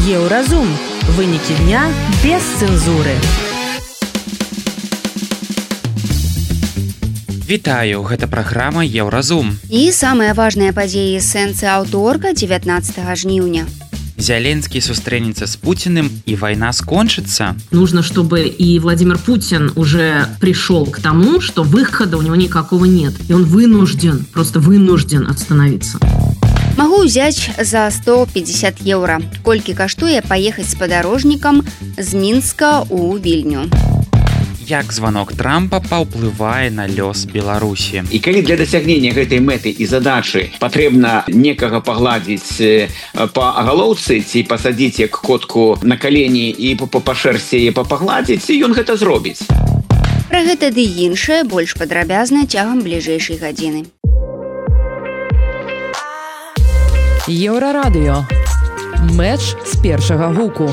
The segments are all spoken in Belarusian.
Еўразум. Вынікі дня без цэнзуры. Вітаю, гэта праграма Еўразум. І самыя важныя падзеі сэнсы аўторка 19 жніўня. Зеленский сустрэнецца с Путиным, и война скончится. Нужно, чтобы и Владимир Путин уже пришел к тому, что выхода у него никакого нет. И он просто вынужден остановиться. Могу взять за 150 евро. Колькі каштуе паехаць с падарожнікам з Мінска у Вільню. Як звонок Трампа паўплывае на лёс Беларусі. І калі для дасягнення гэтай мэты і задачы патрэбна некага пагладзіць па галоўцы ці пасадзіць як котку на калені і па шэрсці яе пагладзіць, ён гэта зробіць. Пра гэта ды іншае больш падрабязна цягам бліжэйшай гадзіны. Еўрарадыё. Мэч з першага гуку.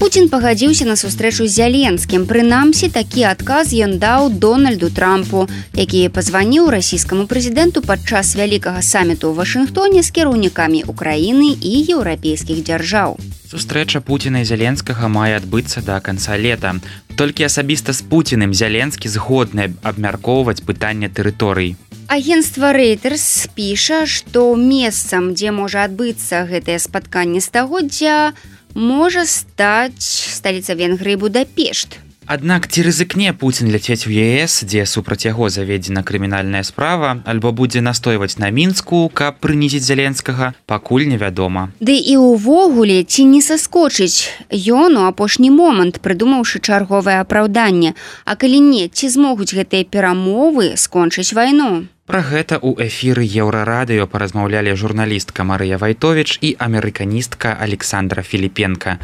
Путін пагадзіўся на сустрэчу з Зеленскім. Прынамсі, такі адказ ён даў Дональду Трампу, які пазваніў расійскаму прэзідэнту падчас вялікага саміту ў Вашынгтоне з кіраўнікамі Украіны і еўрапейскіх дзяржаў. Сустрэча Путіна і Зеленскага мае адбыцца да канца лета. Толькі асабіста з Путіным Зеленскі згодны абмяркоўваць пытанне тэрыторый. Агенцтва Reuters піша, што месцам, дзе можа адбыцца гэтае спатканне стагоддзя, можа стаць сталіца Венгрыі Будапешт. Аднак ці рызыкне Путін ляцець у ЕС, дзе супраць яго заведзена крымінальная справа, альбо будзе настойваць на Мінску, каб прынізіць Зеленскага, пакуль невядома. Ды і ўвогуле, ці не саскочыць ён у апошні момант, прыдумаўшы чарговае апраўданне. А калі не, ці змогуць гэтыя перамовы скончыць вайну? Пра гэта ў эфіры Еўрарадыё паразмаўлялі журналістка Марыя Вайтович и американистка Александра Филипенко.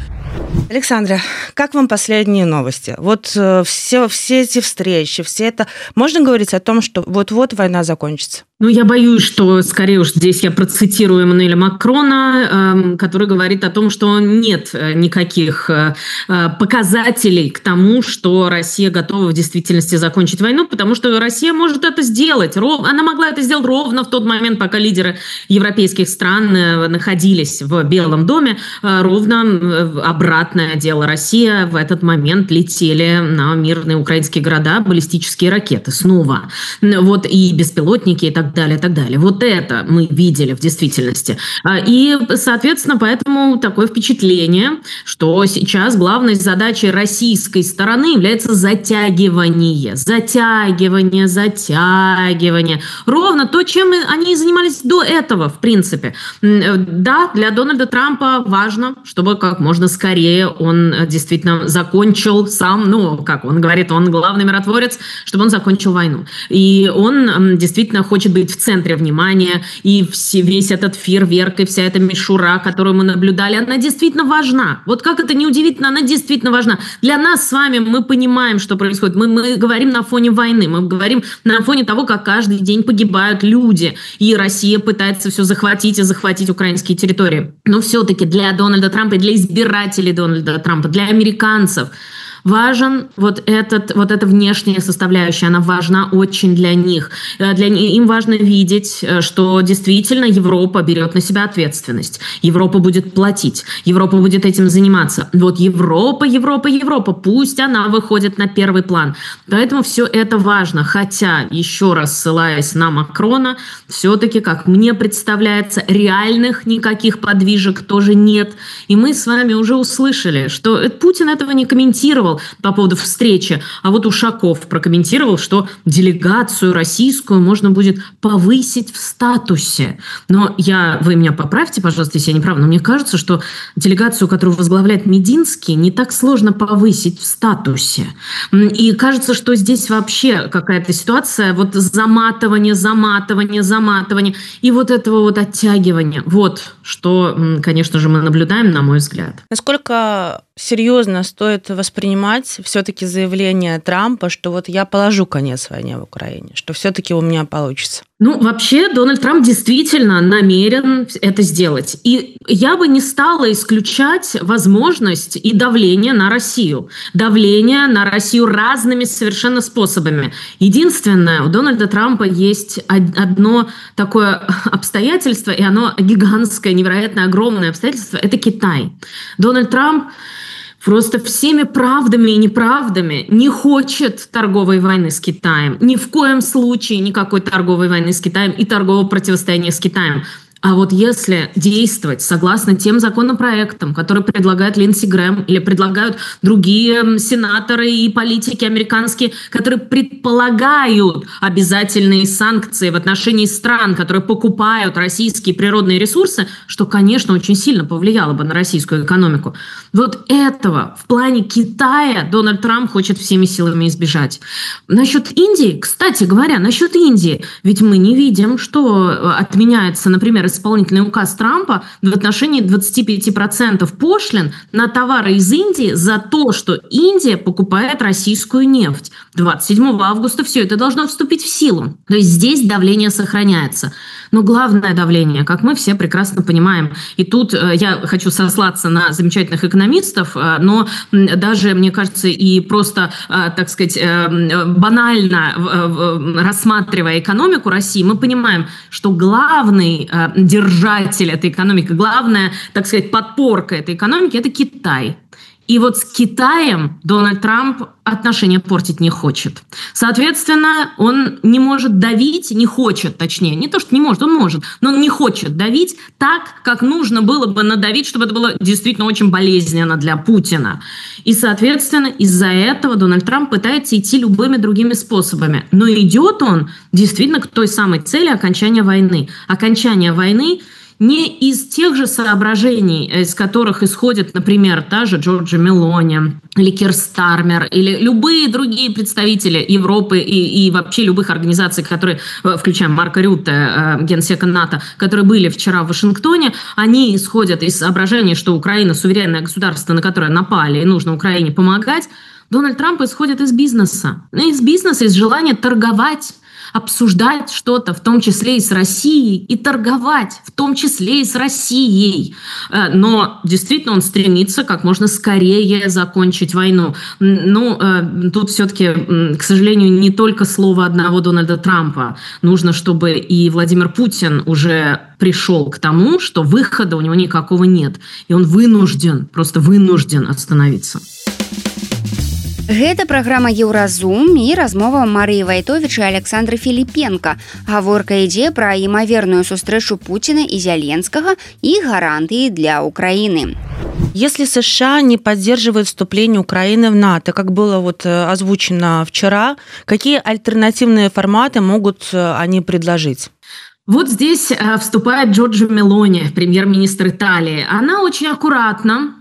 Александра, как вам последние новости? Вот все эти встречи, все это... Можно говорить о том, что вот-вот война закончится? Ну, я боюсь, что, скорее уж, здесь я процитирую Эммануэля Макрона, который говорит о том, что нет никаких показателей к тому, что Россия готова в действительности закончить войну, потому что Россия может это сделать. Она могла это сделать ровно в тот момент, пока лидеры европейских стран находились в Белом доме. Ровно обратное дело. Россия в этот момент летели на мирные украинские города баллистические ракеты снова. Вот и беспилотники, и так далее, и так далее. Вот это мы видели в действительности. И, соответственно, поэтому такое впечатление, что сейчас главной задачей российской стороны является затягивание. Ровно то, чем они занимались до этого, в принципе. Да, для Дональда Трампа важно, чтобы как можно скорее он действительно закончил сам, ну, как он говорит, он главный миротворец, чтобы он закончил войну. И он действительно хочет быть в центре внимания, и весь этот фейерверк, и вся эта мишура, которую мы наблюдали, она действительно важна. Вот как это не удивительно, она действительно важна. Для нас с вами мы понимаем, что происходит. Мы говорим на фоне войны, мы говорим на фоне того, как каждый день погибают люди, и Россия пытается все захватить и захватить украинские территории. Но все-таки для Дональда Трампа и для избирателей Дональда Трампа, для американцев важен вот эта внешняя составляющая, она важна очень для них. Им важно видеть, что действительно Европа берет на себя ответственность. Европа будет платить, Европа будет этим заниматься. Вот Европа, пусть она выходит на первый план. Поэтому все это важно. Хотя, еще раз ссылаясь на Макрона, все-таки, как мне представляется, реальных никаких подвижек тоже нет. И мы с вами уже услышали, что Путин этого не комментировал по поводу встречи, а вот Ушаков прокомментировал, что делегацию российскую можно будет повысить в статусе. Но вы меня поправьте, пожалуйста, если я не права, но мне кажется, что делегацию, которую возглавляет Мединский, не так сложно повысить в статусе. И кажется, что здесь вообще какая-то ситуация, вот заматывание, и вот этого вот оттягивания. Вот что, конечно же, мы наблюдаем, на мой взгляд. Насколько серьезно стоит воспринимать понимать все-таки заявление Трампа, что вот я положу конец войне в Украине, что все-таки у меня получится? Ну, вообще, Дональд Трамп действительно намерен это сделать. И я бы не стала исключать возможность и давление на Россию. Давление на Россию разными совершенно способами. Единственное, у Дональда Трампа есть одно такое обстоятельство, и оно гигантское, невероятно огромное обстоятельство – это Китай. Дональд Трамп просто всеми правдами и неправдами не хочет торговой войны с Китаем. Ни в коем случае никакой торговой войны с Китаем и торгового противостояния с Китаем. А вот если действовать согласно тем законопроектам, которые предлагает Линдси Грэм или предлагают другие сенаторы и политики американские, которые предполагают обязательные санкции в отношении стран, которые покупают российские природные ресурсы, что, конечно, очень сильно повлияло бы на российскую экономику. Вот этого в плане Китая Дональд Трамп хочет всеми силами избежать. Насчет Индии, кстати говоря, насчет Индии, ведь мы не видим, что отменяется, например, исполнительный указ Трампа в отношении 25% пошлин на товары из Индии за то, что Индия покупает российскую нефть. 27 августа все это должно вступить в силу. То есть здесь давление сохраняется. Но главное давление, как мы все прекрасно понимаем, и тут я хочу сослаться на замечательных экономистов, но даже, мне кажется, и просто, так сказать, банально рассматривая экономику России, мы понимаем, что главный держатель этой экономики, главная, так сказать, подпорка этой экономики – это Китай. И вот с Китаем Дональд Трамп отношения портить не хочет. Соответственно, он не может давить, не хочет, точнее, не то, что не может, он может, но он не хочет давить так, как нужно было бы надавить, чтобы это было действительно очень болезненно для Путина. И, соответственно, из-за этого Дональд Трамп пытается идти любыми другими способами. Но идет он действительно к той самой цели окончания войны. Окончание войны не из тех же соображений, из которых исходят, например, та же Джорджа Мелони или Кир Стармер, или любые другие представители Европы и вообще любых организаций, которые, включая Марка Рютте, генсека НАТО, которые были вчера в Вашингтоне, они исходят из соображений, что Украина суверенное государство, на которое напали, и нужно Украине помогать. Дональд Трамп исходит из бизнеса. Из бизнеса, из желания торговать, обсуждать что-то, в том числе и с Россией, и торговать, в том числе и с Россией. Но действительно он стремится как можно скорее закончить войну. Ну, тут все-таки, к сожалению, не только слово одного Дональда Трампа. Нужно, чтобы и Владимир Путин уже пришел к тому, что выхода у него никакого нет. И он вынужден, просто вынужден остановиться. Гэта праграма Еўразум і размова Марыі Вайтовіч і Александры Філіпенка. Гаворка ідзе пра імаверную сустрэчу Путина и Зеленского и гарантии для Украины. Если США не поддерживают вступление Украины в НАТО, как было вот озвучено вчера, какие альтернативные форматы могут они предложить? Вот здесь вступает Джорджа Мелони, премьер-министр Италии. Она очень аккуратно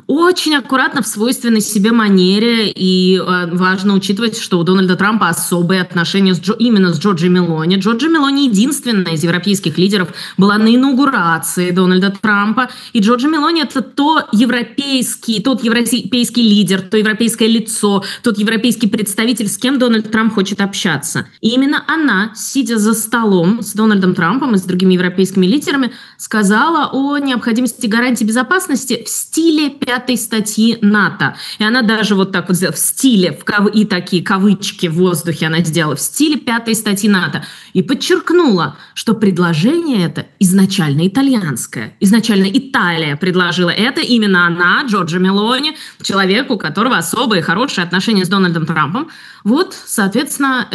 в свойственной себе манере, и важно учитывать, что у Дональда Трампа особые отношения именно с Джорджей Мелони. Джорджа Мелони единственная из европейских лидеров была на инаугурации Дональда Трампа, и Джорджа Мелони – это тот европейский лидер, то европейское лицо, тот европейский представитель, с кем Дональд Трамп хочет общаться. И именно она, сидя за столом с Дональдом Трампом и с другими европейскими лидерами, сказала о необходимости гарантии безопасности в стиле 5-й статьи НАТО. И она даже вот так вот сделала в стиле, и такие кавычки в воздухе она сделала, в стиле 5-й статьи НАТО. И подчеркнула, что предложение это изначально итальянское. Изначально Италия предложила это, именно она, Джорджа Мелони, человек, у которого особые хорошие отношения с Дональдом Трампом. Вот, соответственно,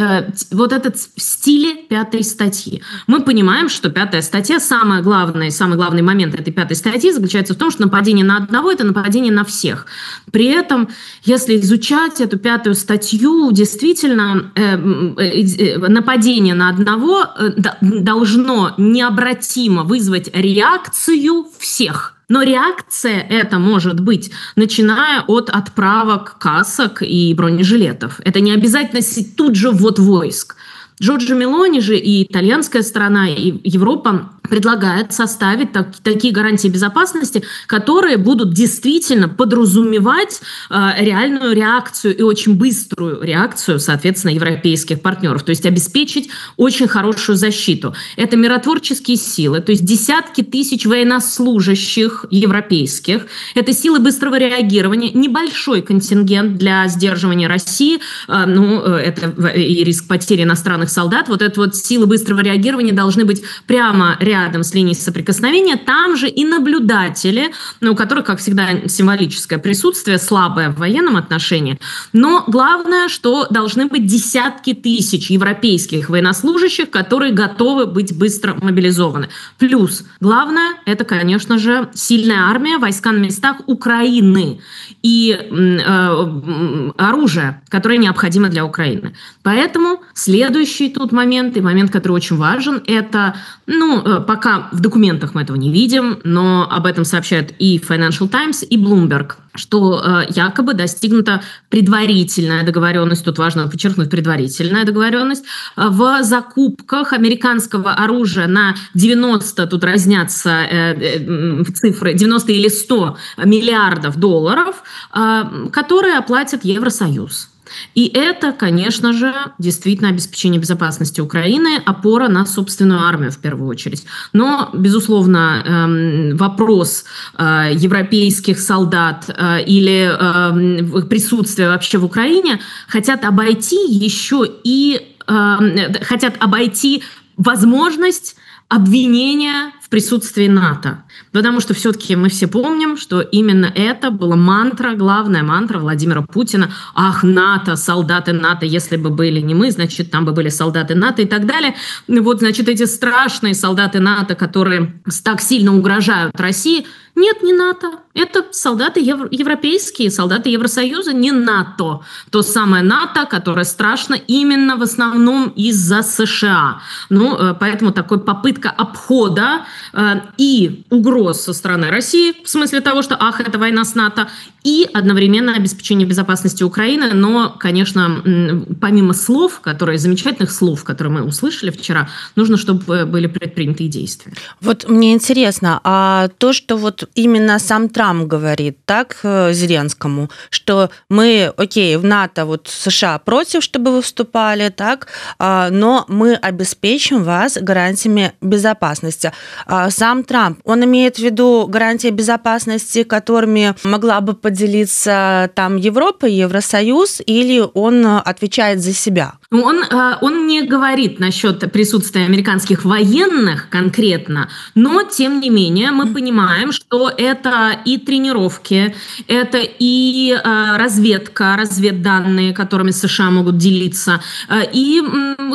вот этот в стиле 5-й статьи. Мы понимаем, что 5-я статья, самый главный момент этой 5-й статьи заключается в том, что нападение на одного – это нападение на всех. При этом, если изучать эту 5-ю статью, действительно, нападение на одного должно необратимо вызвать реакцию всех. Но реакция эта может быть, начиная от отправок касок и бронежилетов. Это не обязательно тут же ввод войск. Джорджо Мелони же и итальянская сторона, и Европа предлагает составить такие гарантии безопасности, которые будут действительно подразумевать реальную реакцию и очень быструю реакцию, соответственно, европейских партнеров, то есть обеспечить очень хорошую защиту. Это миротворческие силы, то есть десятки тысяч военнослужащих европейских, это силы быстрого реагирования, небольшой контингент для сдерживания России, это и риск потери иностранных солдат, вот это вот силы быстрого реагирования должны быть прямо рядом с линией соприкосновения, там же и наблюдатели, у которых, как всегда, символическое присутствие, слабое в военном отношении, но главное, что должны быть десятки тысяч европейских военнослужащих, которые готовы быть быстро мобилизованы. Плюс, главное, это, конечно же, сильная армия, войска на местах Украины и оружие, которое необходимо для Украины. Поэтому следующий тут момент, и момент, который очень важен, это, пока в документах мы этого не видим, но об этом сообщают и Financial Times, и Bloomberg, что якобы достигнута предварительная договоренность, тут важно подчеркнуть предварительная договоренность, в закупках американского оружия на 90, тут разнятся цифры, 90 или 100 миллиардов долларов, которые оплатит Евросоюз. И это, конечно же, действительно обеспечение безопасности Украины, опора на собственную армию в первую очередь. Но, безусловно, вопрос европейских солдат или присутствия вообще в Украине хотят обойти еще и возможность обвинения в присутствии НАТО. Потому что все-таки мы все помним, что именно это была главная мантра Владимира Путина. Ах, НАТО, солдаты НАТО, если бы были не мы, значит, там бы были солдаты НАТО и так далее. Вот, значит, эти страшные солдаты НАТО, которые так сильно угрожают России, нет, не НАТО. Это солдаты европейские, солдаты Евросоюза, не НАТО. То самое НАТО, которое страшно именно в основном из-за США. Поэтому такой попытка обхода и угроз со стороны России, в смысле того, что, это война с НАТО, и одновременно обеспечение безопасности Украины. Но, конечно, помимо замечательных слов, которые мы услышали вчера, нужно, чтобы были предприняты и действия. Вот мне интересно, а то, что вот именно сам Трамп говорит, так, Зеленскому, что мы, в НАТО, США против, чтобы вы вступали, так, но мы обеспечим вас гарантиями безопасности. Сам Трамп, он имеет в виду гарантии безопасности, которыми могла бы поделиться там Европа, Евросоюз, или он отвечает за себя? Он не говорит насчет присутствия американских военных конкретно, но, тем не менее, мы понимаем, что это и тренировки, это и разведданные, которыми США могут делиться, и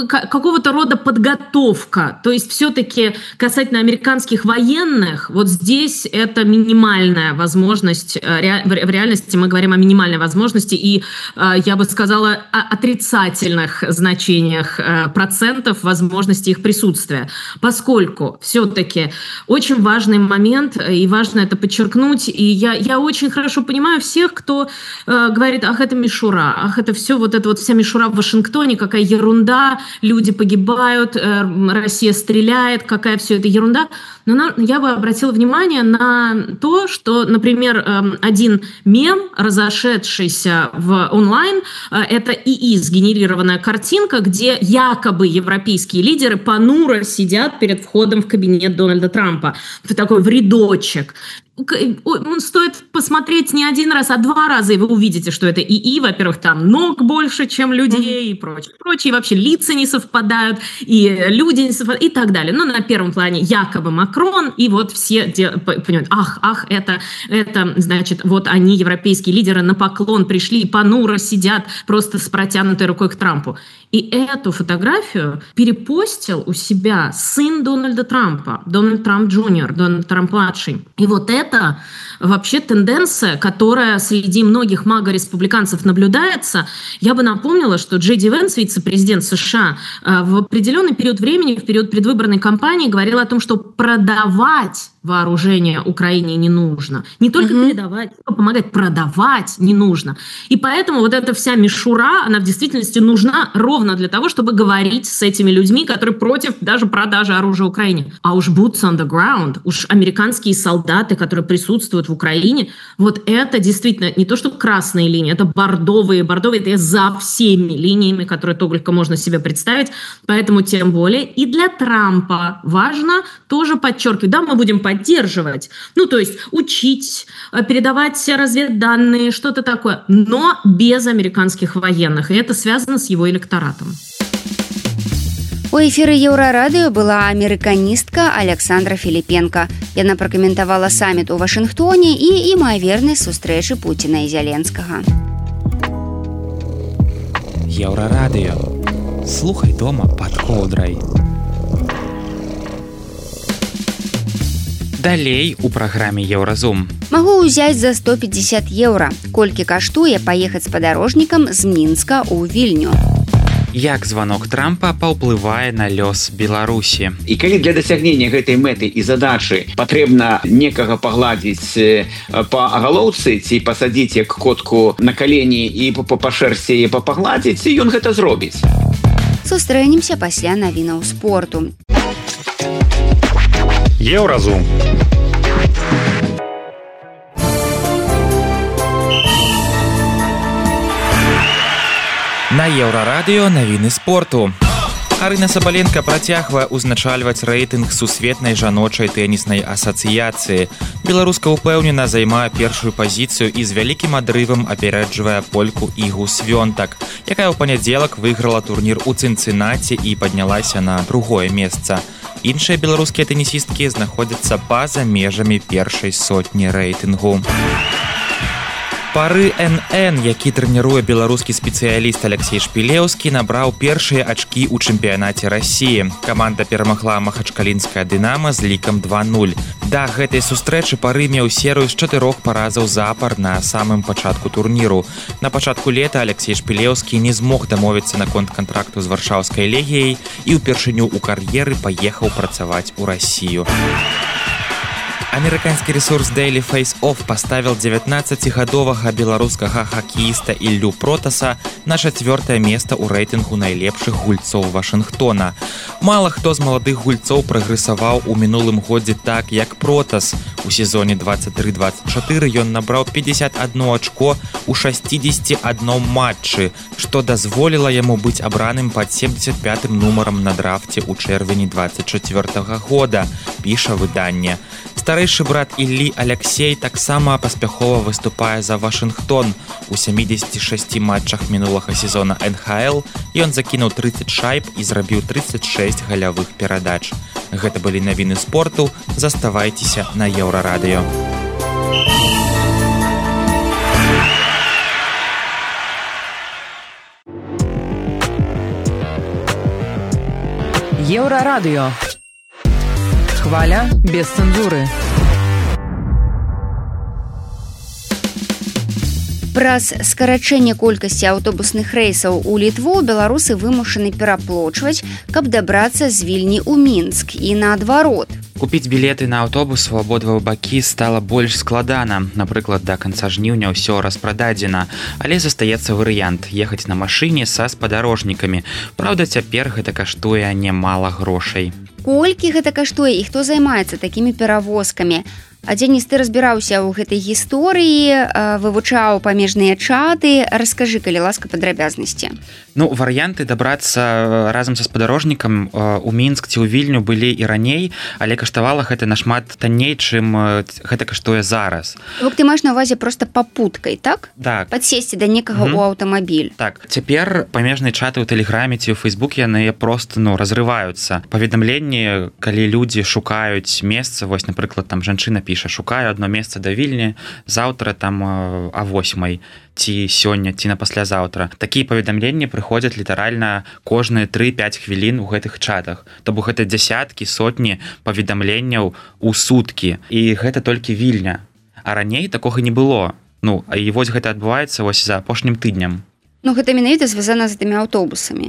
какого-то рода подготовка. То есть все-таки касательно американских военных, вот здесь это минимальная возможность, в реальности мы говорим о минимальной возможности, и я бы сказала отрицательных значениях процентов возможности их присутствия, поскольку все-таки очень важный момент, и важно это подчеркнуть, и я очень хорошо понимаю всех, кто говорит, это мишура, это все, вся мишура в Вашингтоне, какая ерунда, люди погибают, Россия стреляет, какая все это ерунда. Но я бы обратила внимание на то, что, например, один мем, разошедшийся в онлайн, это ИИ, сгенерированная картинка, где якобы европейские лидеры понуро сидят перед входом в кабинет Дональда Трампа. Это такой в рядочек. Стоит посмотреть не один раз, а 2 раза, и вы увидите, что это ИИ. Во-первых, там ног больше, чем людей, и прочее. Вообще лица не совпадают, и люди не совпадают, и так далее. Но на первом плане якобы Макрон, и вот все понимают, это, значит, вот они, европейские лидеры, на поклон пришли, и понуро сидят просто с протянутой рукой к Трампу. И эту фотографию перепостил у себя сын Дональда Трампа, Дональд Трамп Джуниор, Дональд Трамп-младший. И вот это вообще тенденция, которая среди многих мага-республиканцев наблюдается. Я бы напомнила, что Джей Ди Венс, вице-президент США, в определенный период времени, в период предвыборной кампании, говорил о том, что продавать вооружение Украине не нужно. Не только передавать, но помогать, продавать не нужно. И поэтому вот эта вся мишура, она в действительности нужна ровно для того, чтобы говорить с этими людьми, которые против даже продажи оружия Украине. А уж boots on the ground, уж американские солдаты, которые присутствуют в Украине, вот это действительно не то, что красные линии, это бордовые. Бордовые — это за всеми линиями, которые только можно себе представить. Поэтому тем более и для Трампа важно тоже подчеркивать. Да, мы будем поддерживать, ну, то есть учить, передавать разведданные, что-то такое, но без американских военных. И это связано с его электоратом. У эфіры Еўрарадыё была амерыканістка Александра Філіпенка. Яна пракаментавала саміт у Вашынгтоне і імавернасць сустрэчы Пуціна і Зеленскага. Еўрарадыё. Слухай дома пад коўдрай. Далей у праграме Еўразум. Магу ўзяць за 150 еўра. Колькі каштуе паехаць спадарожнікам з Мінска ў Вільню? Як званок Трампа паўплывае на лёс Беларусі? І калі для дасягнення гэтай мэты і задачы патрэбна некага пагладзіць па галоўцы ці пасадзіць як котку на калені і па шэрсці яе пагладзіць, ён гэта зробіць. Сустрэнемся пасля навінаў спорту. Еўразум. На Еўрарадыё навіны спорту. Арына Сабаленка працягвае ўзначальваць рэйтынг сусветнай жаночай тэніснай асацыяцыі. Беларуска ўпэўнена займае першую пазіцыю і з вялікім адрывам апярэджвае польку Ігу Свёнтак, якая ў панядзелак выйграла турнір у Цынцынаці і паднялася на другое месца. Іншыя беларускія тэнісісткі знаходзяцца па-за межамі першай сотні рэйтынгу. Пары НН, які трэніруе беларускі спецыяліст Алексей Шпілеўскі, набраў першыя ачкі ў чэмпіянаце Расіі. Каманда перамагла махачкалінская «Дынама» з лікам 2-0. Да гэтай сустрэчы Пары меў серыю з 4 паразаў запар на самым пачатку турніру. На пачатку лета Алексей Шпілеўскі не змог дамовіцца наконт кантракту з варшаўскай легіяй і ўпершыню ў кар'еры паехаў працаваць у Расію. Амерыканскі рэсурс Daily Face Off паставіл 19-гадовага беларускага хакеіста Іллю Протаса на 4-е месца ў рэйтынгу найлепшых гульцоў Вашынгтона. Мала хто з маладых гульцоў прагрэсаваў у мінулым годзе так, як Протас. У сезоне 23-24 ён набраў 51 ачко ў 61 матчы, што дазволіла яму быць абраным пад 75-м нумарам на драфце ў чэрвені 24 года, піша выданне. Старэйшы брат Іллі Алексей таксама паспяхова выступае за Вашынгтон. У 76 матчах мінулага сезона НХЛ ён закінуў 30 шайб і зрабіў 36 галявых перадач. Гэта былі навіны спорту. Заставайцеся на Еўрарадыё. Еўрарадыё. Хваля без цэнзуры. Праз скарачэнне колькасці аўтобусных рэйсаў у Літву беларусы вымушаны пераплочваць, каб дабрацца з Вільні ў Мінск і наадварот. Купіць білеты на аўтобус у абодва бакі стала больш складана. Напрыклад, да канца жніўня ўсё распрададзена, але застаецца варыянт ехаць на машыне са спадарожнікамі. Праўда, цяпер гэта каштуе немала грошай. Колькі гэта каштуе і хто займаецца такімі перавозкамі? А Дзеніс, ты разбіраўся ў гэтай гісторыі, вывучаў памежныя чаты. Раскажы, калі ласка, падрабязнасці. Ну, варыянты дабрацца разам са спадарожнікам у Мінск ці ў Вільню былі і раней, але каштавала гэта нашмат танней, чым гэта каштуе зараз. Ты маеш на ўвазе проста папуткай, так? Так. Падсесці да некага ў аўтамабіль. Так. Цяпер памежныя чаты ў тэлеграме ці ў Фейсбуке яны просто разрываюцца. Паведамленні, калі людзі шукаюць месца, вось, напрыклад, там жанчына піша: шукаю одно месца да Вільні, заўтра там а 8 ці сёння, ці на паслязаўтра. Такія паведамленні прыходзяць літаральна кожныя 3-5 хвілін у гэтых чатах. То бок гэта дзясяткі, сотні паведамленняў у суткі. І гэта толькі Вільня. А раней такога не было. Ну, і вось гэта адбываецца вось за апошнім тыднем. Ну, гэта менавіта звязана з гэтымі аўтобусамі.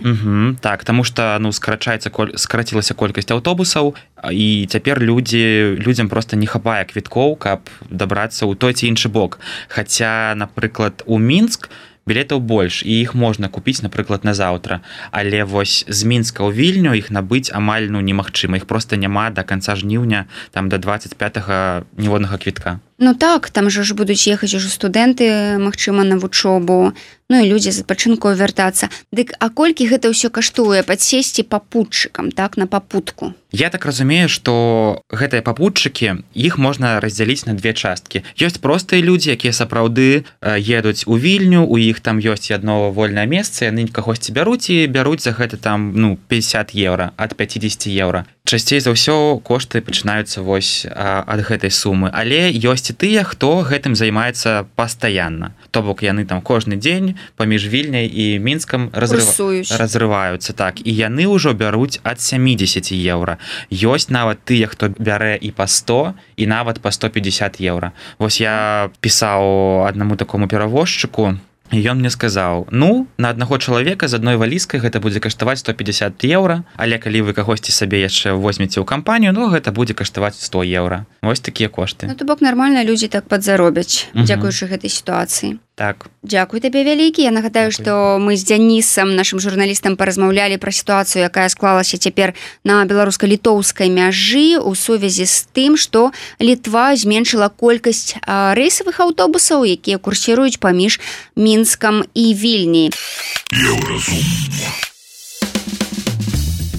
Так, таму што скарацілася колькасць аўтобусаў, і цяпер людзям проста не хапае квіткоў, каб дабрацца ў той ці іншы бок. Хаця, напрыклад, у Мінск білетаў больш, і іх можна купіць, напрыклад, на заўтра. Але вось з Мінска ў Вільню іх набыць амаль немагчыма. Іх проста няма да канца жніўня, там да 25-го ніводнага квітка. Ну так, там жа ж будуць ехаць ужо студэнты, магчыма, на вучобу, ну і людзі з адпачынку вяртацца. Дык, а колькі гэта ўсё каштуе падсесці папутчыкам, так, на папутку? Я так разумею, што гэтыя папутчыкі, іх можна раздзяліць на две часткі. Ёсць простыя людзі, якія сапраўды едуць у Вільню, у іх там ёсць адно вольнае месца, яны кагосьці бяруць і бяруць за гэта там, 50 еўра, ад 50 еўра. Часцей за ўсё кошты пачынаюцца вось ад гэтай сумы, але ёсць і тыя, хто гэтым займаецца пастаянна. То бок яны там кожны дзень паміж Вільняй і Мінскам разрываюцца, так, і яны ўжо бяруць ад 70 еўра. Ёсць нават тыя, хто бярэ і па 100, і нават па 150 еўра. Вось я пісаў аднаму такому перавозчыку, і ён мне сказаў, на аднаго чалавека з адной валізкай гэта будзе каштаваць 150 еўра, але калі вы кагосьці сабе яшчэ возьмеце ў кампанію, гэта будзе каштаваць 100 еўра. Вось такія кошты. То бок нармальна людзі так падзаробяць, дзякуючы гэтай сітуацыі. Так. Дзякуй табе вялікі. Я нагадаю, што мы з Дзянісам, нашым журналістам, паразмаўлялі пра сітуацыю, якая склалася цяпер на беларуска-літоўскай мяжы ў сувязі з тым, што Літва зменшыла колькасць рэйсавых аўтобусаў, якія курсіруюць паміж Мінскам і Вільняй.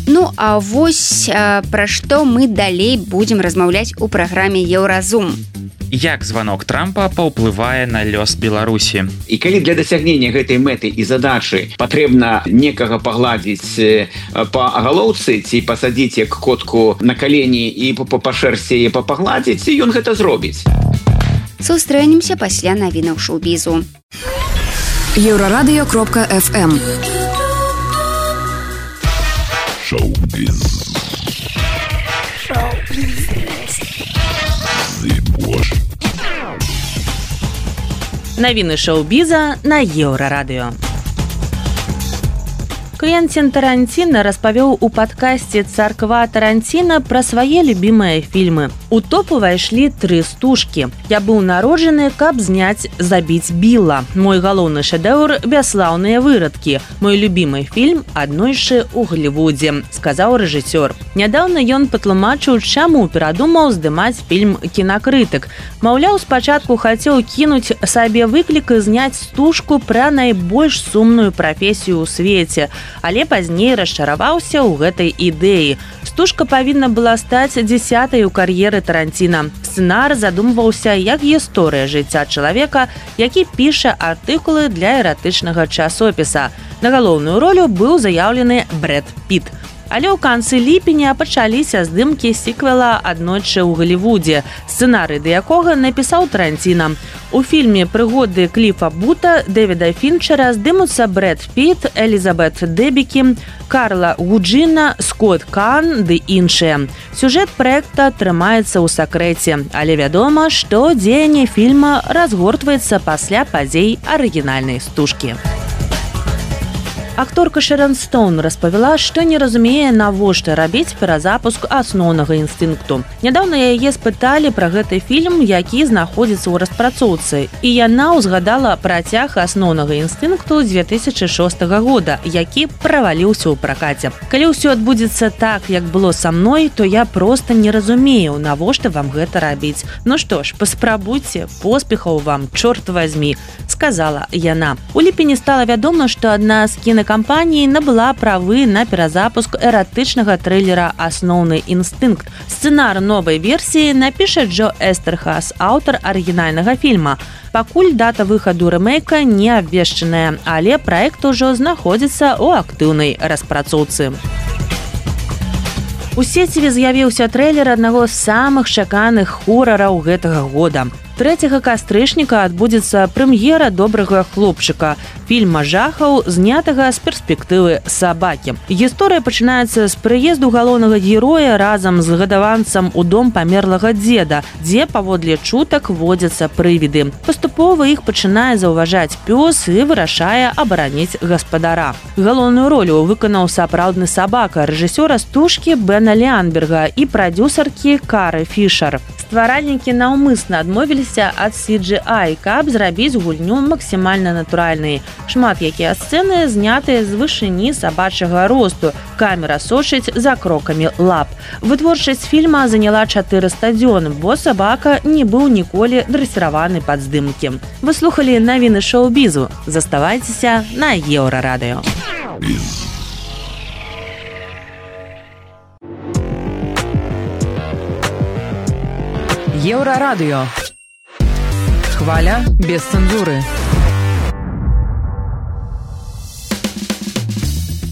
Ну, а вось пра што мы далей будзем размаўляць у праграме Еўразум. Як званок Трампа паўплывае на лёс Беларусі. І калі для дасягнення гэтай мэты і задачы патрэбна некага пагладзіць па галоўцы ці пасадзіць як котку на калені і па шэрсці пагладзіць, ён гэта зробіць. Сустрэнемся пасля навінаў шоу-бізу. Еўрарадыё.фм Шоу-біз. Навіны шоу-біза на Еўрарадыё. Квенцін Тарантіна распавёў у падкасці «Царква Тарантіна» пра свае любімыя фільмы. У топ увайшлі 3 стужкі. Я быў народжаны, каб зняць «Забіць Білла». Мой галоўны шэдэўр «Бяслаўныя вырадкі». Мой любімы фільм «Аднойшы ў Голлівудзе», сказаў рэжысёр. Нядаўна ён патлумачыў, чаму перадумаў здымаць фільм «Кінакрытык». Маўляў, спачатку хацеў кінуць сабе выклік і зняць стужку пра найбольш сумную прафесію ў свеце, але пазней расчараваўся ў гэтай ідэі. Стужка павінна была стаць 10-й у кар'еры Тарантіна. Сцэнар задумваўся як гісторыя жыцця чалавека, які піша артыкулы для эратычнага часопіса. На галоўную ролю быў заяўлены Брэд Піт. Але ў канцы ліпеня пачаліся здымкі сіквела «Аднойчы ў Голлівудзе», сцэнарый да якога напісаў Тарантіна. У фільме «Прыгоды Кліфа Бута» Дэвіда Фінчера здымуцца Брэд Піт, Элізабет Дэбікі, Карла Гуджина, Скотт Кан ды іншыя. Сюжэт праекта трымаецца ў сакрэце, але вядома, што дзеянне фільма разгортваецца пасля падзей арыгінальнай стужкі. Акторка Шэрон Стоун распавяла, што не разумее, навошта рабіць перазапуск асноўнага інстынкту. Нядаўна яе спыталі пра гэты фільм, які знаходзіцца ў распрацоўцы, і яна ўзгадала працяг асноўнага інстынкту 2006 года, які праваліўся ў пракаце. Калі ўсё адбудзецца так, як было са мной, то я проста не разумею, навошта вам гэта рабіць. Ну што ж, паспрабуйце, поспехаў вам, чорт вазьмі, сказала яна. У ліпені стала вядома, што адна з кінакампаній набыла правы на перазапуск эратычнага трылера «Асноўны інстынкт». Сцэнар новай версіі напіша Джо Эстерхас, аўтар арыгінальнага фільма. Пакуль дата выхаду рэмейка не абвешчаная, але праект ужо знаходзіцца ў актыўнай распрацоўцы. У сеціве з'явіўся трэйлер аднаго з самых чаканых хорараў гэтага года. 3 кастрычніка адбудзецца прэм'ера добрага хлопчыка, фільма жахаў, знятага з перспектывы сабакі. Гісторыя пачынаецца з прыезду галоўнага героя разам з гадаванцам у дом памерлага дзеда, дзе паводле чутак водзяцца прывіды. Паступова іх пачынае заўважаць пёс і вырашае абараніць гаспадара. Галоўную ролю выканаў сапраўдны сабака, рэжысёра стужкі Бена Леанберга і прадзюсаркі Кары Фішер. Стваральнікі наўмысна адмовіліся ад CGI, каб зрабіць гульню максімальна натуральнай. Шмат якія сцэны знятыя з вышыні сабачага росту. Камера сочыць за крокамі лап. Вытворчасць фільма заняла 400 дзён, бо сабака не быў ніколі дрэсіраваны пад здымкі. Вы слухалі навіны шоу-бізу. Заставайцеся на Еўрарадыё. Еўрарадыё. Хваля без цэнзуры.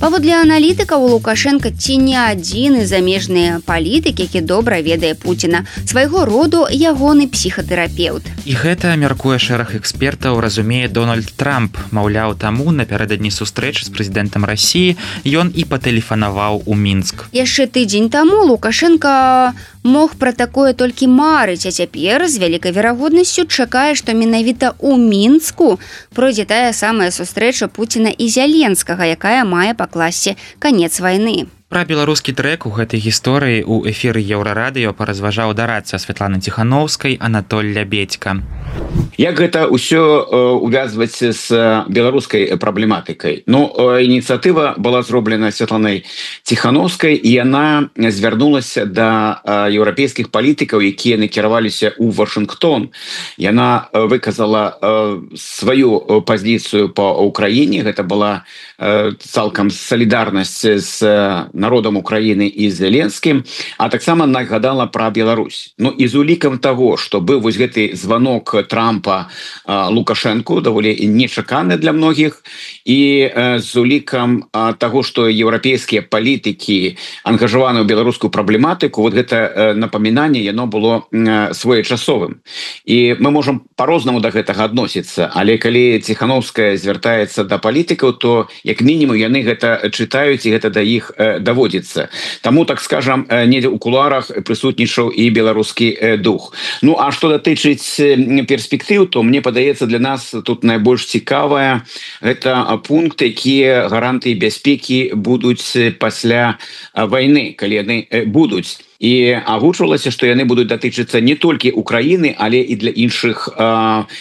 Паводле аналітыкаў, Лукашенка ці не адзіны замежны палітык, які добра ведае Пуціна, свайго роду ягоны псіхатэрапеўт. І гэта, мяркуе шэраг экспертаў, разумее Дональд Трамп. Маўляў, таму напярэдадні сустрэчы з прэзідэнтам Расіі ён і патэлефанаваў у Мінск. Яшчэ тыдзень таму Лукашенка мог пра такое толькі марыць, а цяпер з вялікай верагоднасцю чакае, што менавіта ў Мінску пройдзе тая самая сустрэча Пуціна і Зяленскага, якая мае пакласці канец вайны. Пра беларускі трэк у гэтай гісторыі ў эфіры Еўрарадыё паразважаў дарадца Святланы Ціхановскай Анатоль Лябедзька. Як гэта ўсё увязваць з беларускай праблематыкай? Ініцыятыва была зроблена Святланай Ціхановскай, і яна звярнулася да еўрапейскіх палітыкаў, якія накіраваліся ў Вашынгтон. Яна выказала сваю пазіцыю па Ўкраіне. Гэта была цалкам салідарнасць з народам Украіны і з Зеленскім, а таксама нагадала пра Беларусь. І з улікам таго, што быў вось гэты званок Трампа Лукашэнку, даволі нечаканы для многіх, і з улікам таго, што еўрапейскія палітыкі ангажаваны ў беларускую праблематыку, вот гэта напамінанне, яно было своечасовым. І мы можам па-рознаму да гэтага адносіцца, але калі Ціхановская звяртаецца да палітыкаў, то як мінімум яны гэта чытаюць, і гэта да іх даводзіцца. Таму, так скажам, недзе ў кулуарах прысутнічаў і беларускі дух. А што датычыць перспектыў, то мне падаецца, для нас тут найбольш цікавая гэта пункт, якія гарантыі бяспекі будуць пасля вайны, калі яны будуць. І агучвалася, што яны будуць датычыцца не толькі Украіны, але і для іншых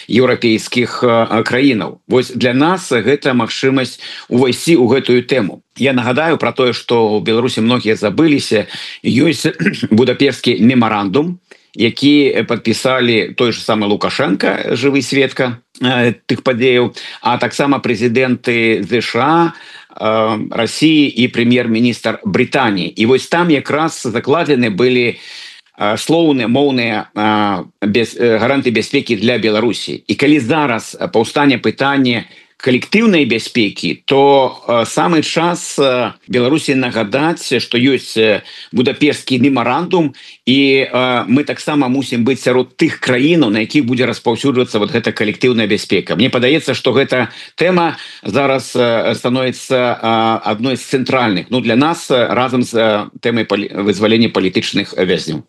еўрапейскіх краінаў. Вось для нас гэта магчымасць увайсці ў гэтую тэму. Я нагадаю пра тое, што ў Беларусі многія забыліся, ёсць Будапешtsкі мемарандум, які падпісалі той же самы Лукашенко, жывы сведка тых падзеяў, а таксама прэзідэнты ЗША, Расіі і прэм'ер-міністр Брытаніі. І вось там якраз закладзены былі слоўныя, моўныя гарантыі бяспекі для Беларусі. І калі зараз паўстане пытанне калектыўнай бяспекі, то самы час Беларусі нагадаць, што ёсць Будапешtsкі мемарандум, і мы таксама мусім быць сярод тых краінаў, на якіх будзе распаўсюджвацца вот гэта калектыўная бяспека. Мне падаецца, што гэта тэма зараз становіцца адной з цэнтральных, для нас разам з тэмай вызвалення палітычных вязняў.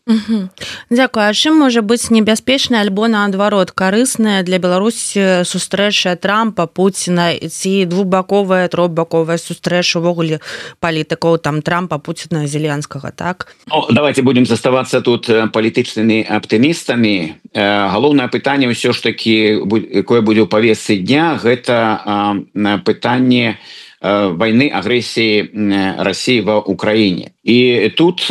Дзякую. А чым можа быць небяспечная альбо наадварот карысная для Беларусі сустрэча Трампа, Пуціна, ці двухбаковая, трохбаковая сустрэча увогуле палітыкаў там Трампа, Пуціна, Зеленскага, так? Давайте будем заставацца тут палітычнымі аптымістамі. Галоўнае пытанне ўсё ж такі, якое будзе ў павестцы дня, гэта пытанне войны, агрэсіі Расіі ва Украіне. І тут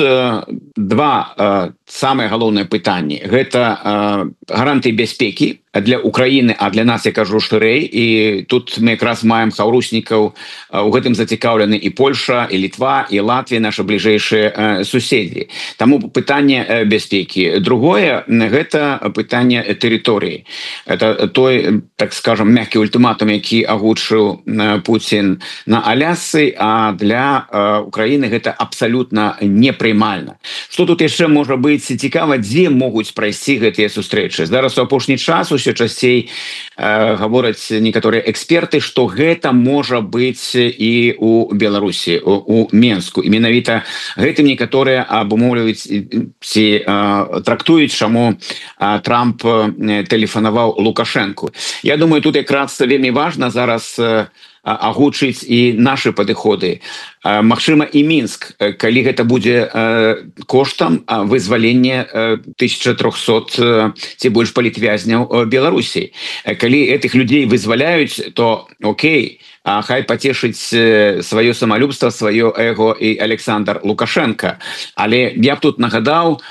два самыя галоўныя пытанні. Гэта гарантыі бяспекі для Украіны, а для нас, я кажу, шырэй. І тут мы якраз маем хаўруснікаў, у гэтым зацікаўлены і Польша, і Літва, і Латвія, нашы бліжэйшыя суседзі. Таму пытанне бяспекі. Другое, гэта пытанне тэрыторыі. Это той, так скажем, мяккі ультыматум, які агучыў Пуцін на Алясцы, а для Украіны гэта абсалютна непрымальна. Што тут яшчэ можа быць цікава, дзе могуць прайсці гэтыя сустрэчы? Зараз у апошні час усё часцей гавораць некаторыя эксперты, што гэта можа быць і у Беларусі, у Менску. І менавіта гэтым некаторыя абумоўліваюць ці трактуюць, чаму Трамп тэлефанаваў Лукашэнку. Я думаю, тут якраз вельмі важна зараз агучыць і нашы падыходы. Магчыма, і Мінск, калі гэта будзе коштам вызвалення 1300 ці больш палітвязняў Беларусі. Калі гэтых людзей вызваляюць, то окей, хай пацешыць сваё самалюбства, сваё эго і Александр Лукашенко. Але я б тут нагадаў,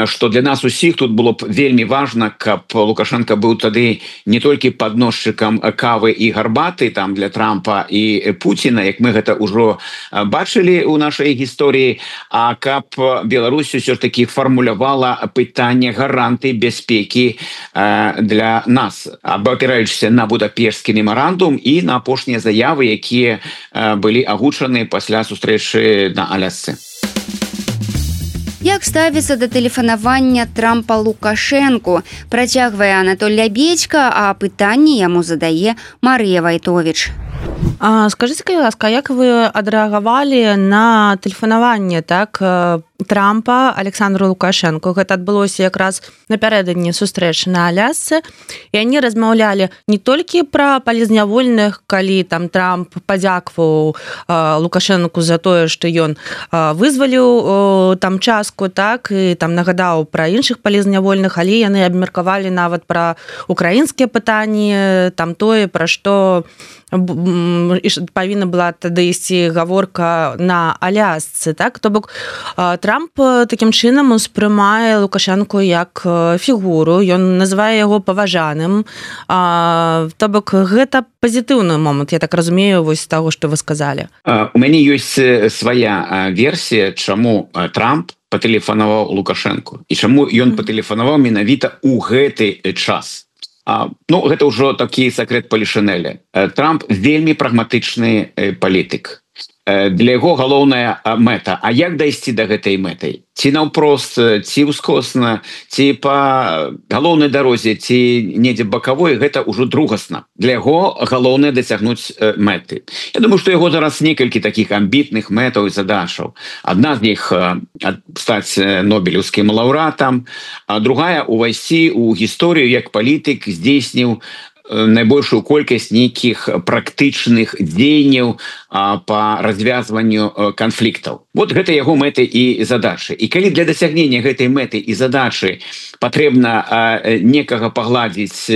што для нас усіх тут было б вельмі важна, каб Лукашенко быў тады не толькі падносчыкам кавы і гарбаты там для Трампа і Пуціна, як мы гэта ўжо бачылі ў нашай гісторыі, а каб Беларусь усё ж такі фармулявала пытанне гарантыі бяспекі для нас, абапіраючыся на будапешtsкі мемарандум і на апошнія заявы, якія былі агучаны пасля сустрэчы на Алясцы. Як ставіцца да тэлефанавання Трампа Лукашэнку, працягвае Анатоль Лябедька, а пытанне яму задае Марыя Вайтовіч. Скажите, ласка, як вы адрэагавалі на тэлефанаванне Трампа Александру Лукашэнку? Гэта адбылося якраз напярэдадні сустрэчы на Алясцы, і яны размаўлялі не толькі пра палізнявольных, калі там Трамп падзякваў Лукашэнку за тое, што ён вызваліў там частку, і там нагадаў пра іншых палізнявольных, але яны абмеркавалі нават пра украінскія пытанні, там тое, пра што павінна была тады ісці гаворка на Алясцы, то бок Трамп такім чынам успрымае Лукашэнку як фігуру, ён называе яго паважаным, то бок гэта пазітыўны момант, я так разумею, вось з таго, што вы сказалі. У мяне ёсць свая версія, чаму Трамп патэлефанаваў Лукашэнку і чаму ён патэлефанаваў менавіта ў гэты час. Гэта ўжо такі сакрэт палішынеля. Трамп вельмі прагматычны палітык. Для яго галоўная мэта. А як дайсці да гэтай мэтай? Ці наўпрост, ці ўскосна, ці па галоўнай дарозе, ці недзе бакавой, гэта ўжо другасна. Для яго галоўнае дасягнуць мэты. Я думаю, што яго зараз некалькі такіх амбітных мэтаў і задачаў. Адна з іх стаць нобелеўскім лаўрэатам, а другая увайсці ў гісторыю як палітык, здзейсніў найбольшую колькасць нейкіх практычных дзеянняў па развязванню канфліктаў. Вот гэта яго мэты і задачы. І калі для дасягнення гэтай мэты і задачы патрэбна некага пагладзіць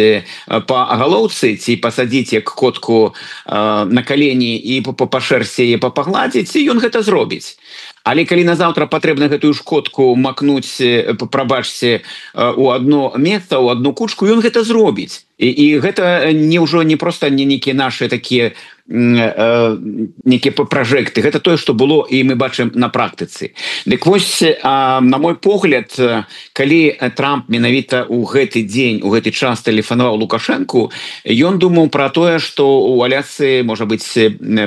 па галоўцы ці пасадзіць як котку на калені і па шэрсці яе пагладзіць, ён гэта зробіць. Але калі назаўтра патрэбна гэтую шкодку макнуць, прабачце, у одно месца, у одну кучку, ён гэта зробіць. І гэта ўжо не проста нейкія нашы такія нейкія пражэкты. Гэта тое, што было і мы бачым на практыцы. Дык вось, на мой погляд, калі Трамп менавіта ў гэты дзень, у гэты час тэлефанаваў Лукашэнку, ён думаў пра тое, што ў Алясцы можа быць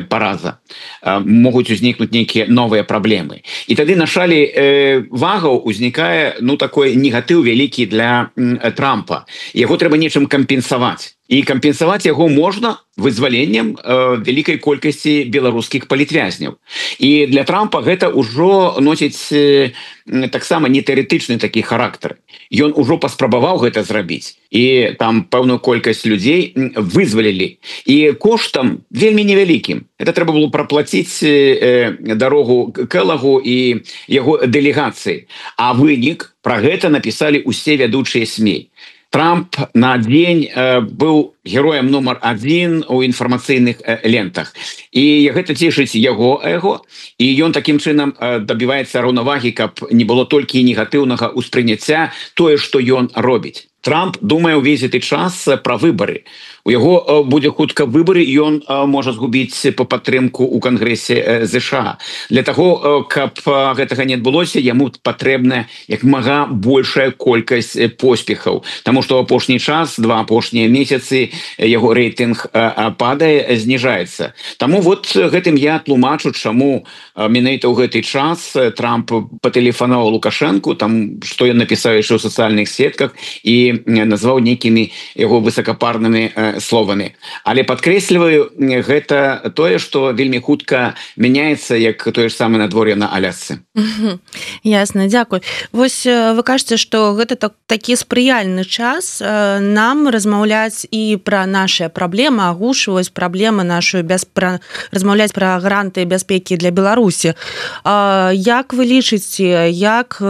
параза. Могуць узнікнуць нейкія новыя праблемы. І тады на шалі вагаў узнікае такой негатыў вялікі для Трампа. Яго трэба нечым кампенсаваць. І кампенсаваць яго можна вызваленнем вялікай колькасці беларускіх палітвязняў. І для Трампа гэта ўжо носіць таксама не тэарэтычны такі характар. Ён ужо паспрабаваў гэта зрабіць. І там пэўную колькасць людзей вызвалілі. І коштам вельмі невялікім. Это трэба было праплаціць дарогу Келагу і яго дэлегацыі. А вынік пра гэта напісалі ўсе вядучыя СМІ. Трамп на дзень быў героем нумар 1 у інфармацыйных лентах. І гэта цешыць яго эго, і ён такім чынам дабіваецца раўнавагі, каб не было толькі негатыўнага ўспрыняцця тое, што ён робіць. Трамп думае ўвесь гэты час пра выбары. У яго будзе хутка выбары, і ён можа згубіць па падтрымку ў Кангрэсе ЗША. Для таго, каб гэтага не адбылося, яму патрэбна як мага большая колькасць поспехаў. Таму што апошні час, 2 апошнія месяцы, яго рэйтынг падае, зніжаецца. Таму вот гэтым я тлумачу, чаму менавіта ў гэты час Трамп патэлефанаваў Лукашэнку, там што ён напісаў яшчэ ў сацыяльных сетках і назваў нейкімі яго высокапарнымі словамі. Але падкрэсліваю, гэта тое, што вельмі хутка мяняецца, як тое ж самае надвор'е на Алясцы. Ясна, дзякуй. Вось вы кажаце, што гэта такі спрыяльны час нам размаўляць і пра нашыя праблемы, агушваць праблемы нашу, размаўляць пра гарантыі бяспекі для Беларусі. Як вы лічыце, як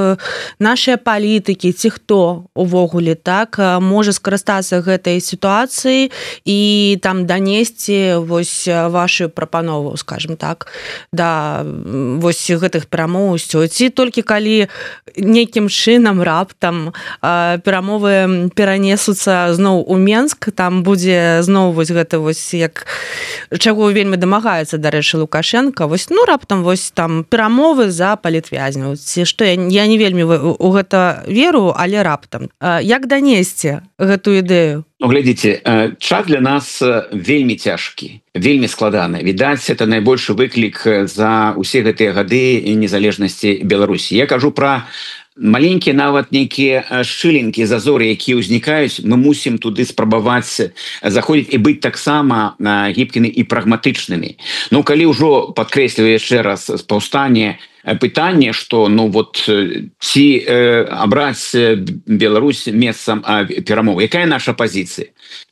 нашыя палітыкі ці хто увогуле так можа скарыстацца гэтай сітуацыі і там данесці вось вашу прапанову, скажем так, да вось гэтых перамоў, ці толькі калі нейкім чынам раптам перамовы перанесуцца зноў у Менск, там будзе зноў вось гэта вось як чаго вельмі дамагаецца, дарэчы, Лукашенко, вось раптам вось там перамовы за палітвязняў, ці што я не вельмі у гэта веру, але раптам як данесці гэту ідэю? Глядзіце, час для нас вельмі цяжкі, вельмі складаны. Відаць, это найбольшы выклік за ўсе гэтыя гады незалежнасці Беларусі. Я кажу пра маленькія нават нейкія шчылінкі, зазоры, якія ўзнікаюць, мы мусім туды спрабаваць заходзіць і быць таксама гібкімі і прагматычнымі. Ну, калі ўжо, падкрэсліваю яшчэ раз, паўстане пытанне, што ці абраць Беларусь месцам перамоў. Якая наша пазіцыя?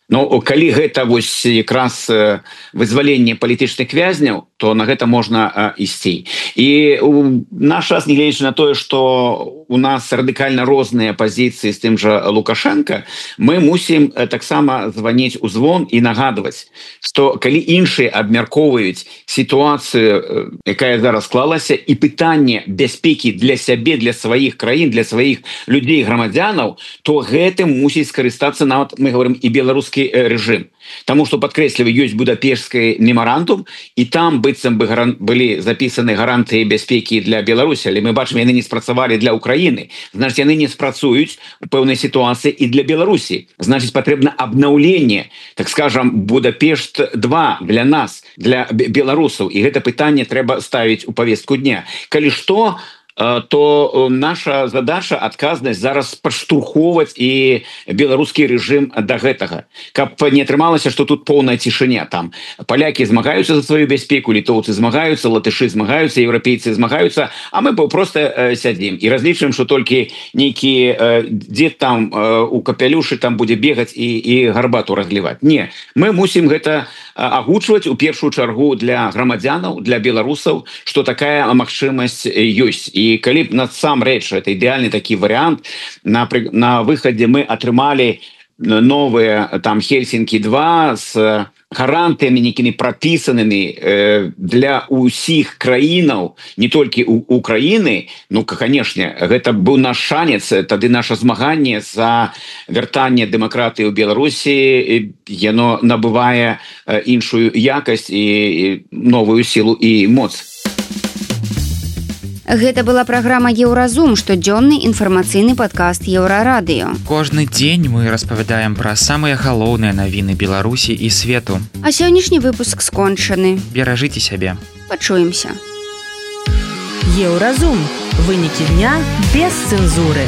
Калі гэта вось якраз вызваленне палітычных вязняў, то на гэта можна ісці. І наш час, нягледзячы на тое, што у нас радыкальна розныя пазіцыі з тым жа Лукашенко, мы мусім таксама званіць у звон і нагадваць, што калі іншыя абмяркоўваюць сітуацыю, якая зараз склалася, і пытанне бяспекі для сябе, для сваіх краін, для сваіх людзей, грамадзянаў, то гэтым мусіць скарыстацца нават, мы говорим, і беларускі рэжым. Таму што, падкрэсліваю, ёсць Будапешtsкі мемарандум, і там быццам бы былі запісаны гарантыі бяспекі для Беларусі, але мы бачым, яны не спрацавалі для Украіны. Значыць, яны не спрацуюць у пэўнай сітуацыі і для Беларусі. Значыць, патрэбна абнаўленне, так скажам, Будапешт-2 для нас, для беларусаў. І гэта пытанне трэба ставіць у павестку дня. Калі што, то наша задача, адказнасць зараз падштурхоўваць і беларускі рэжым да гэтага. Каб не атрымалася, што тут поўная цішыня. Там палякі змагаюцца за сваю бяспеку, літоўцы змагаюцца, латышы змагаюцца, еўрапейцы змагаюцца, а мы проста сядзім і разлічваем, што толькі нейкі дзед там у капялюшы там будзе бегаць і гарбату разліваць. Не, мы мусім гэта агучваць у першую чаргу для грамадзянаў, для беларусаў, што такая магчымасць ёсць. І калі б насамрэч, это ідэальны такі варыянт, на выхадзе мы атрымалі новыя там Хельсінкі-2 з гарантыямі нейкімі прапісанымі для ўсіх краінаў, не толькі Украіны, канешне, гэта быў наш шанец, тады наша змаганне за вяртанне дэмакратыі ў Беларусі, яно набывае іншую якасць і новую сілу і моц. Гэта была праграма «Еўразум», штодзённы інфармацыйны падкаст Еўрарадыё. Кожны дзень мы распавядаем пра самыя галоўныя навіны Беларусі і свету. А сённяшні выпуск скончаны. Беражыце сябе. Пачуемся. Еўразум. Вынікі дня без цэнзуры.